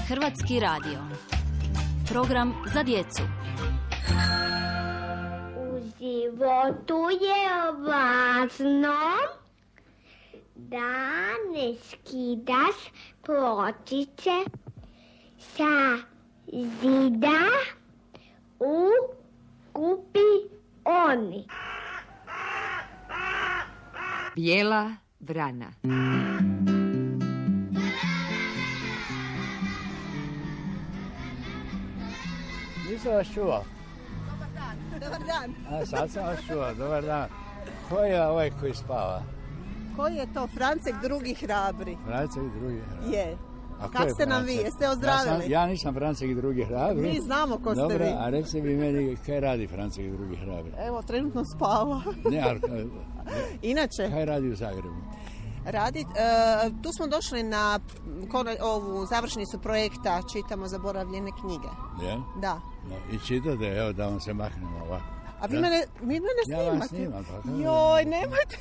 Hrvatski radio. Program za djecu. U životu je važno da ne skidaš pločice sa zida u kupioni. Bijela vrana. Nisam vas čuo. Dobar dan. A sad sam vas čuo, dobar dan. Ko je ovaj koji spava? Koji je to? Francek drugi hrabri. Francek drugi hrabri. Je. A Kako ste nam vi? Jeste ozdravili? Ja nisam Francek drugi hrabri. Mi znamo ko ste Dobre, vi. a recite mi meni kaj radi Francek drugi hrabri? Evo, trenutno spava. Ne, ali Inače, kaj radi u Zagrebu? tu smo došli na ovu završnicu projekta Čitamo zaboravljene knjige. Je? Da. No, i čitate, evo da vam se mahnemo ovako. A vi mene snimate? Ja vas snimam. Pa, Joj, nemojte.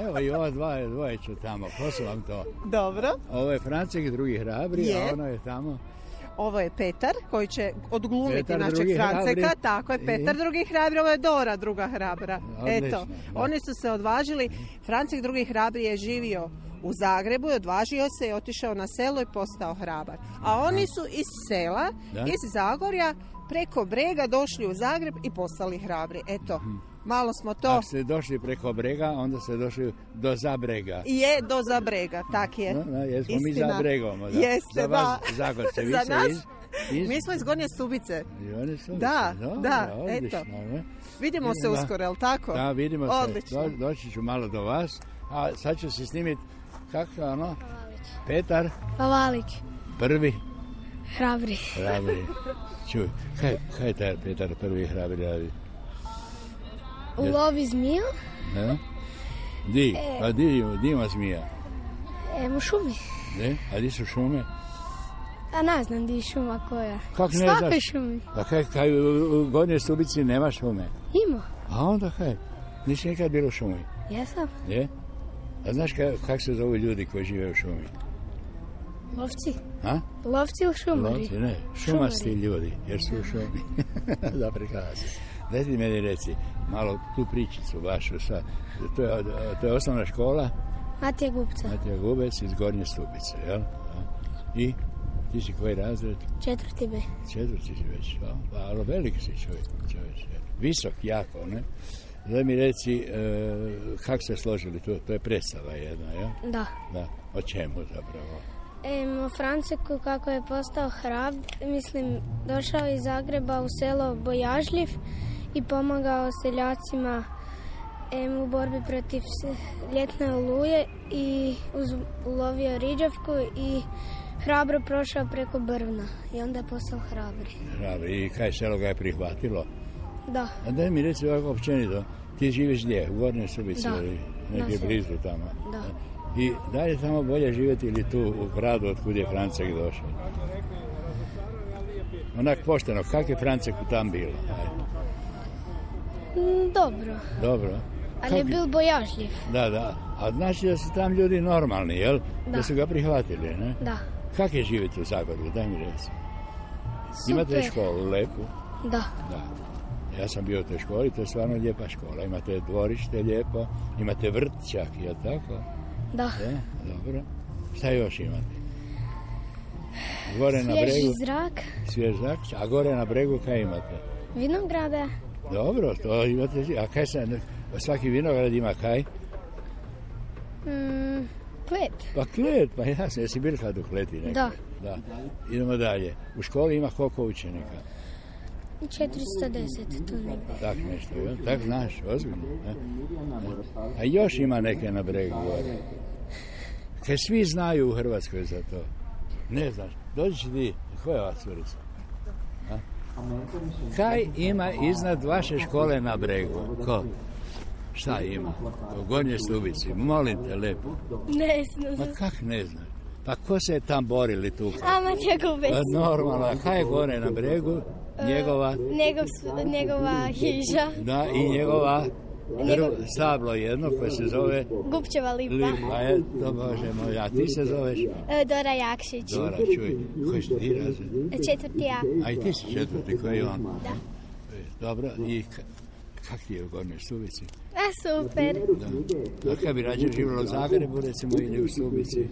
Evo i ova dvoje ću tamo. Ko su vam to? Dobro. Ovo je Francek drugi hrabri, Je. a ono je tamo. Ovo je Petar koji će odglumiti Petar našeg drugi Franceka. hrabri. Tako je, Petar drugi hrabri, ovo je Dora druga hrabra. Odlično, Eto, da. oni su se odvažili. Francek drugi hrabri je živio u Zagrebu i odvažio se i otišao na selo i postao hrabar. A oni su iz sela, Da. iz Zagorja, preko brega došli u Zagreb i postali hrabri. Eto, malo smo to... Ako ste došli preko brega, onda ste došli do Zabrega. Je do Zabrega, tak je. No, jesmo mi Istina. za bregom. Da. Jeste, za vas, Zagorce, vi Za ste nas? iz... Mi smo iz Gornje Stubice. I oni su... Da, Dobro, da, odlično, eto. ne? Vidimo se Da. uskoro, jel tako? Da, vidimo se. Odlično. Doći ću malo do vas. A sad ću se snimiti kako ono? Petar Pavalić, prvi hrabri. hrabri. Čuj, kaj je taj Petar prvi hrabri radi? Ulovi zmiju Ne? Pa di ima zmija? u šumi. Ne? A di su šume? A ne znam di je šuma koja. Kako ne Svakoj znaš? šumi. Pa kaj u Gornjoj Stubici nema šume? Ima. A onda kaj? Nisi nikad bilo u šumi? Jesam. Je? A znaš kako se zovu ljudi koji žive u šumi? Lovci. A? Lovci u šumari. Lovci, ne, šumasti ljudi, jer su u šumi. Da, prekrasno. Daj ti meni reci, malo tu pričicu vašu, to je osnovna škola Matija Gupca. Matija Gubec iz Gornje Stubice, jel? I ti si koji razred? 4. B. 4. si već, ali veliki si čovjek. Visok, jako, ne? Daj mi reci, kako ste složili, to je predstava jedna, jel? Da. Da, o čemu zapravo? O Franceku kako je postao došao iz Zagreba u selo Bojažljiv i pomagao seljacima u borbi protiv ljetne oluje i ulovio riđavku i hrabro prošao preko brvna i onda je postao hrabri. Hrabri, i kaj selo ga je prihvatilo? Da. A daj mi reci ovako općenito, ti živiš gdje? U Gornjoj Stubici Da. ili negdje blizu tamo? Da. I da li je tamo bolje živjeti ili tu u gradu od kud je Francek došao? Onak pošteno, kak je Franceku tam bilo? Dobro. Dobro. Ali je bil bojažljiv. Da. A znači da su tam ljudi normalni, jel? Da su ga prihvatili, ne? Da. Kak je živjeti u Zagorju? Daj mi reci. Super. Imate školu lepu? Da. Da. Ja sam bio u toj školi, to je stvarno lijepa škola. Imate dvorište lijepo, imate vrt čak, je tako? Da. Je, dobro. Šta još imate? Gore na Svježi bregu, zrak, svjež zrak, a gore na bregu kaj imate? vinograda, Dobro, to imate, a kaj svaki vinograd ima kaj? klet. Pa klet, pa jasno, jesi bil kad u kleti nekaj? Da. Idemo dalje. U školi ima koliko učenika? 410 tu negdje. Tak nešto, jel? Tak znaš, ozbiljno. Ne? A još ima neke na bregu gore. Kaj svi znaju u Hrvatskoj za to? Ne znaš. Dođi ti, koja je ova curica? Kaj ima iznad vaše škole na bregu? Ko? Šta ima? U Gornjoj Stubici. Molim te, lepo. Ne znam. Ma kak ne znaš? Pa ko se je tam borili tu? A Matija Gubec. Pa normalno, a kaj je gore na bregu? Njegova? Njegova hiža. Da, i njegova Stablo jedno koje se zove... Gupčeva lipa. To Bože moj, a ti se zoveš? Dora Jakšić. Dora, čuj, koji si ti razred? 4. A. A i ti si 4. koji je on? Da. Dobro, i kak ti je u Gornjoj Stubici? Super. Da. A kad bi rađe živjela u Zagrebu, recimo, ili u Stubici?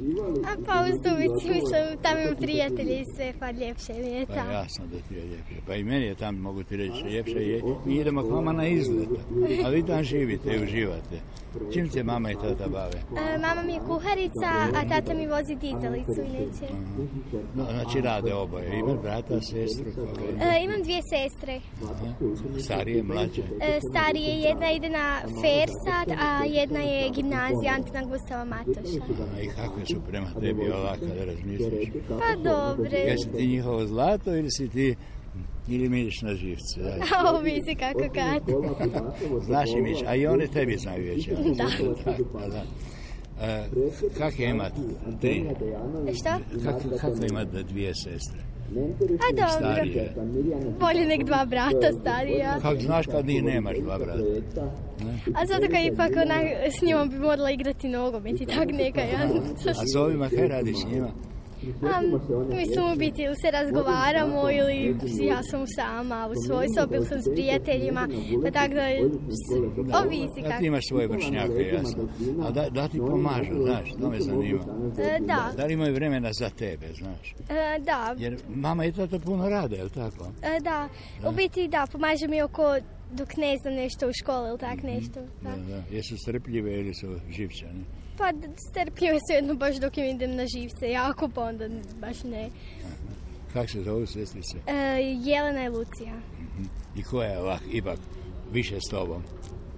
Pa u Stubici, mislim, tamo imam prijatelji i sve, pa ljepše mi je tamo. Pa jasno da ti je ljepše. Pa i meni je tamo, mogu ti reći, ljepše je. Mi idemo k vama na izlet, a vi tam živite i uživate. Čim se mama i tata bave? Mama mi je kuharica, a tata mi vozi dizalicu i neće. Znači rade oboje. Imaš brata, sestru? Imam 2 sestre. Starije, mlađe? Starije, jedna ide na FER sad, a jedna je gimnazija Antina Gustava Matoša. I kakve su prema tebi ovako da razmisliš? Pa dobre. Jesi ti njihovo zlato ili si ti... Ili miriš na živce? Ovisi kako kad. Znaš i miš, a i one tebi znaju već. Da. Da. Kako je imat 3? Šta? Kako je imat 2 sestre? A dobro. Starije. Bolje nek 2 brata starija. Kako znaš kad njih nemaš 2 brata? A zato kad ipak s njom bi morala igrati nogomet i tak neka. A s ovima kaj radiš s njima? Mislim u biti ili se razgovaramo ili ja sam sama u svoj sobi ili sam s prijateljima, pa tako da ovisi kako. Ti imaš svoje vršnjake, jasno. A da ti pomažu, znaš, to me zanima. Da. Da li imaju vremena za tebe, znaš? Da. Jer mama i tata puno rade, je li tako? Da, u biti da, pomaže mi oko dok ne znam nešto u školi ili tak nešto. Da. Jesu strpljive ili su živčane? Pa strpljive su jedno baš dok im idem na živce, jako pa onda baš ne. Kako se zovu sestrice? Jelena i Lucija. I koja je ovak, ipak, više s tobom?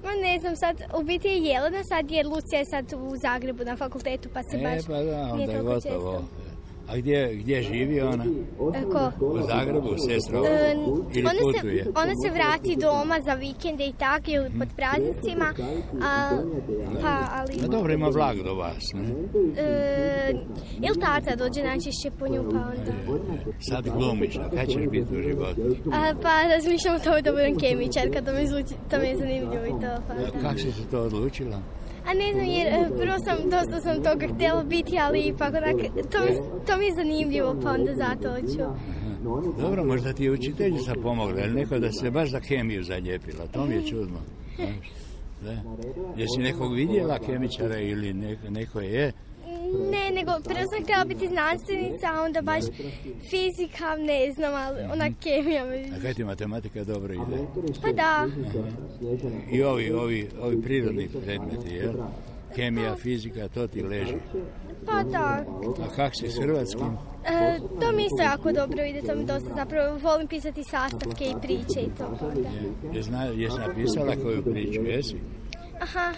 No ne znam, sad u biti je Jelena sad jer Lucija je sad u Zagrebu na fakultetu pa se baš pa da, nije onda je toliko gotovo. često. A gdje živi ona? Ko? U Zagrebu, sestra? Ili putuje? Ona se vrati doma za vikende i tako ili pod praznicima. Ali... No dobro, ima vlak do vas, ne? Ili tata dođe najčešće po nju, pa onda... Sad glumiš, a kada ćeš biti u životu? Pa razmišljam o tome da budem kemičarka, to mi je zanimljivo i to. Kako si se to odlučila? A ne znam, jer prvo dosta sam toga htjela biti, ali ipak to mi je zanimljivo, pa onda zato hoću. Dobro, možda ti je učiteljica pomogla, ili neko da se baš za kemiju zaljepila, to mi je čudno. Da. Jesi nekog vidjela kemičara ili neko je? Ne, nego prvo sam htjela biti znanstvenica, a onda baš fizika, ne znam, ali ona kemija. A kaj ti matematika dobro ide? Pa da. I ovi prirodni predmeti, jel? Kemija, fizika, to ti leži. Pa da. A kak si s hrvatskim? To mi isto jako dobro ide, to mi dosta zapravo volim pisati sastavke i priče i to. Jesi napisala koju priču, jesi? Aha.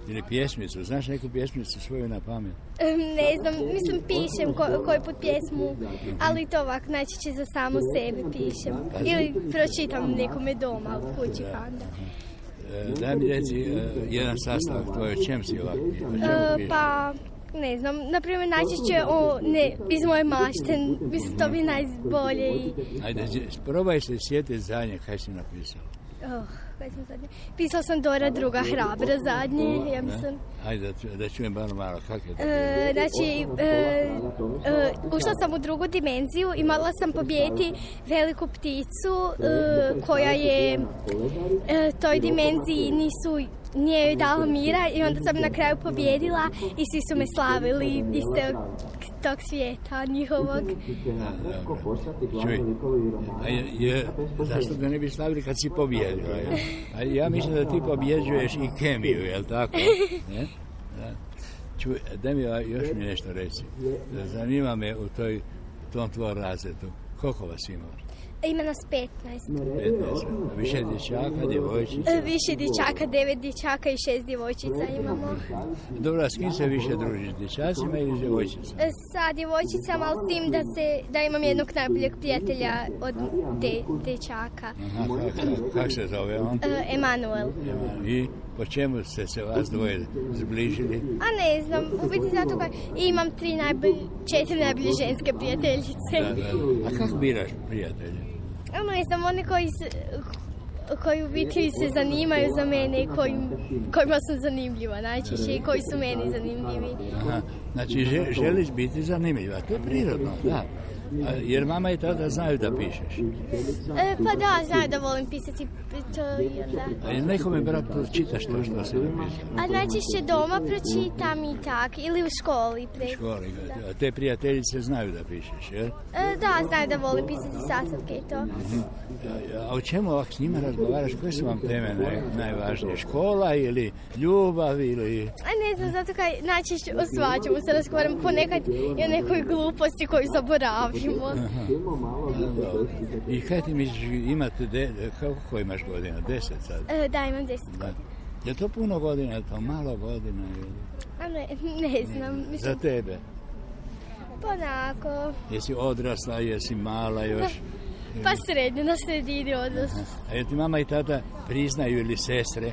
Ili pjesmicu, znaš neku pjesmicu svoju na pamet? Ne znam, mislim pišem koji put pjesmu, ali to ovako najčešće za samu sebe pišem. Ili pročitam nekome doma u kući pa onda. Daj mi reci jedan sastavak tvoj, o čem si ovako pišeš? Pa, ne znam, naprimjer najčešće iz moje mašte, mislim to bi najbolje i... Ajde, probaj se sjetiti zadnje kaj si napisala. Pisala sam Dora druga hrabra zadnje, ja mislim. Ajde, da čujem bar malo, kako je to? Znači, ušla sam u drugu dimenziju i morala sam pobijediti veliku pticu koja je toj dimenziji nije joj dala mira i onda sam na kraju pobjedila i svi su me slavili iz tog svijeta njihovog. Čuj, zašto ga ne bi slavili kad si pobjedila? Ja mislim da ti pobjeđuješ i kemiju, je li tako? Čuj, daj mi još mi nešto reći. Zanima me u tom tvojom razredu. Koliko vas ima? Ima nas 15. 15. Više dječaka, djevojčica? Više dječaka, 9 dječaka i 6 djevojčica imamo. Dobro, a s kim se više družiš? Dječacima ili djevojčicama? Sa djevojčicama, ali s tim da imam jednog najboljeg prijatelja od dječaka. Kako se zove on? Emanuel. I po čemu ste se vas dvoje zbližili? A ne znam, u biti zato kad imam 4 najbolje ženske prijateljice. Da. A kako biraš prijatelje? Ne znam, oni koji koji u biti se zanimaju za mene i kojima sam zanimljiva najčešće i koji su meni zanimljivi. Aha. Znači, želiš biti zanimljiva, to je prirodno, da. Jer mama i tada znaju da pišeš. Pa da, znaju da volim pisati. A nekome, brat, pročitaš to što si napisao? A najčešće doma pročitam i tak, ili u školi. U školi, a te prijateljice znaju da pišeš, jel? Da, znaju da volim pisati sastavke i to. A o čemu ovak s njima razgovaraš? Koje su vam teme najvažnije? Škola ili ljubav ili... Ne znam, zato kaj najčešće o svačemu se razgovaram ponekad i o nekoj gluposti koju zaboravimo. I kaj ti misliš, imate, kako imaš godina? 10 sad? Da, imam 10 godina. Je to puno godina, je to malo godina? Ne znam. Mislim... Za tebe? Pa onako... Jesi odrasla, jesi mala još? Pa srednje, na sredini odrasla. A je ti mama i tata priznaju ili sestre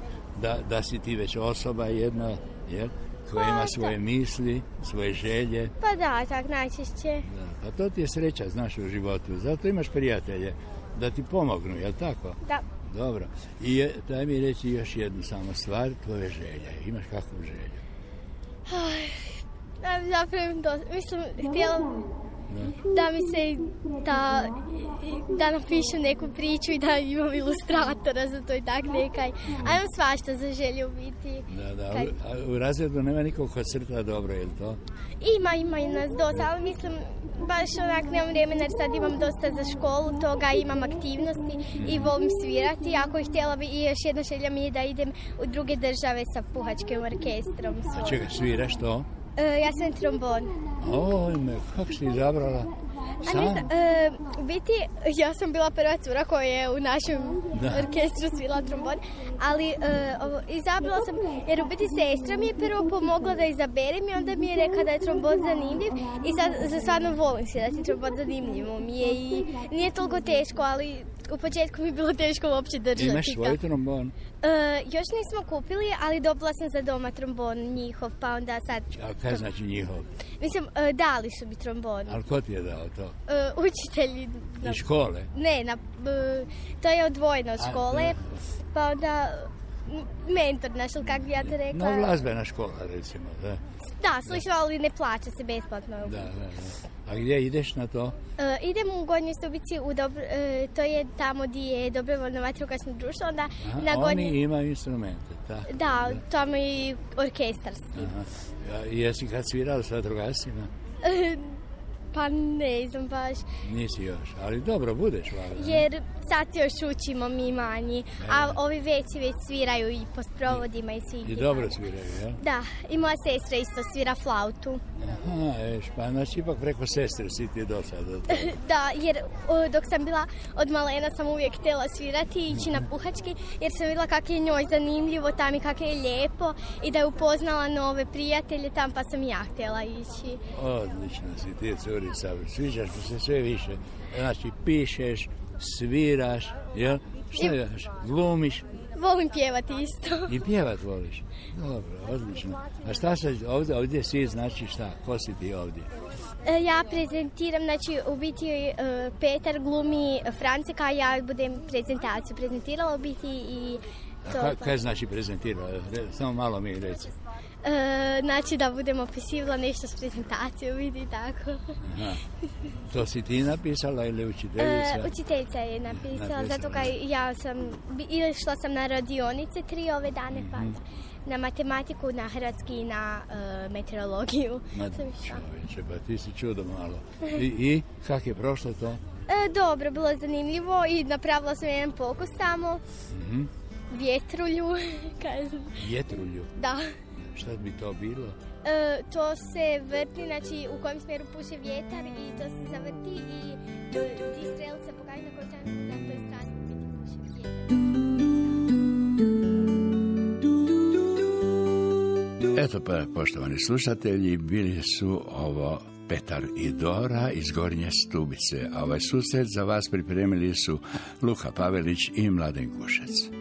da si ti već osoba jedna, jel? Koja ima svoje misli, svoje želje. Pa da, tak najčešće. Da, pa to ti je sreća, znaš, u životu. Zato imaš prijatelje da ti pomognu, jel tako? Da. Dobro. I daj mi reći još jednu samo stvar, tvoje želje. Imaš kakvu želju? Zapravo, mislim, htjela da mi se da napišem neku priču i da imam ilustratora za to i tak nekaj. A imam svašta za želju biti. Da. A u razredu nema nikog ko crta dobro, je li to? Ima i nas dosta, ali mislim, baš onak nemam vremena jer sad imam dosta za školu toga, imam aktivnosti i volim svirati. Ako ih htjela bi, i još jedna želja mi je da idem u druge države sa puhačkim orkestrom. A čega sviraš to? Ja sam trombon. Ojme, kako si izabrala? Sam? U biti, ja sam bila prva cura koja je u našem orkestru svila trombon, ali izabrala sam, jer u biti sestra mi je prvo pomogla da izaberem i onda mi je rekla da je trombon zanimljiv i sad stvarno volim svirati trombon, zanimljivo mi je i nije toliko teško, ali u početku mi je bilo teško uopće držati. Imaš svoj trombon? Još nismo kupili, ali dobila sam za doma trombon njihov, pa onda sad... A kaj znači njihov? Mislim, dali su mi trombon. Ali ko ti je dao to? Učitelji. Iz škole? Ne, to je odvojeno od škole, pa onda mentor naš, ili kako bi ja to rekla. No, glazbena škola, recimo, da. Da, slično, ali ne plaća se besplatno. Da. A gdje ideš na to? Idem u Gornjoj Stubici, to je tamo gdje je dobrovoljno vatrogasno društvo, onda na Gornjoj... Oni imaju instrumente, tako? Da, tamo je i orkestarski. Jesi kad svirala s vatrogascima? Pa ne znam baš. Nisi još, ali dobro, budeš valjda. Jer sad još učimo mi manji, a ovi veći već sviraju i po sprovodima i svi. I dobro sviraju, jel? Da, i moja sestra isto svira flautu. Aha, pa znači ipak preko sestre si ti do sada. Da, jer dok sam bila od malena sam uvijek htjela svirati i ići na puhački, jer sam vidjela kako je njoj zanimljivo tam i kako je lijepo i da je upoznala nove prijatelje tam, pa sam ja htjela ići. Odlično si ti, curica, sviđaš mi se sve više. Znači, pišeš, sviraš, jel? Šta još? Glumiš? Volim pjevati isto. I pjevat voliš? Dobro, odlično. A šta se ovdje si, znači šta? Ko si ti ovdje? Ja prezentiram, znači u biti Petar glumi Franceka, a ja budem prezentaciju prezentirala u biti i to. A kaj znači prezentirala? Samo malo mi reci. Znači da budem opisivala nešto s prezentacijom, vidi tako. Aha. To si ti napisala ili učiteljica? Učiteljica je napisala, zato kaj ja sam, išla sam na radionice 3 ove dane, pa na matematiku, na hrvatski i na meteorologiju. Čovječe, pa ti si čudo malo. I kak je prošlo to? Dobro, bilo zanimljivo i napravila sam jedan pokus samo. Vjetrulju. Vjetrulju? Da. Šta bi to bilo? To se vrti, znači u kojem smjeru puše vjetar i to se zavrti i ti strelice pokažu na kojoj strani, na toj strani puše vjetar. Eto pa, poštovani slušatelji, bili su ovo Petar i Dora iz Gornje Stubice, a ovaj susret za vas pripremili su Luka Pavelić i Mladen Kušec.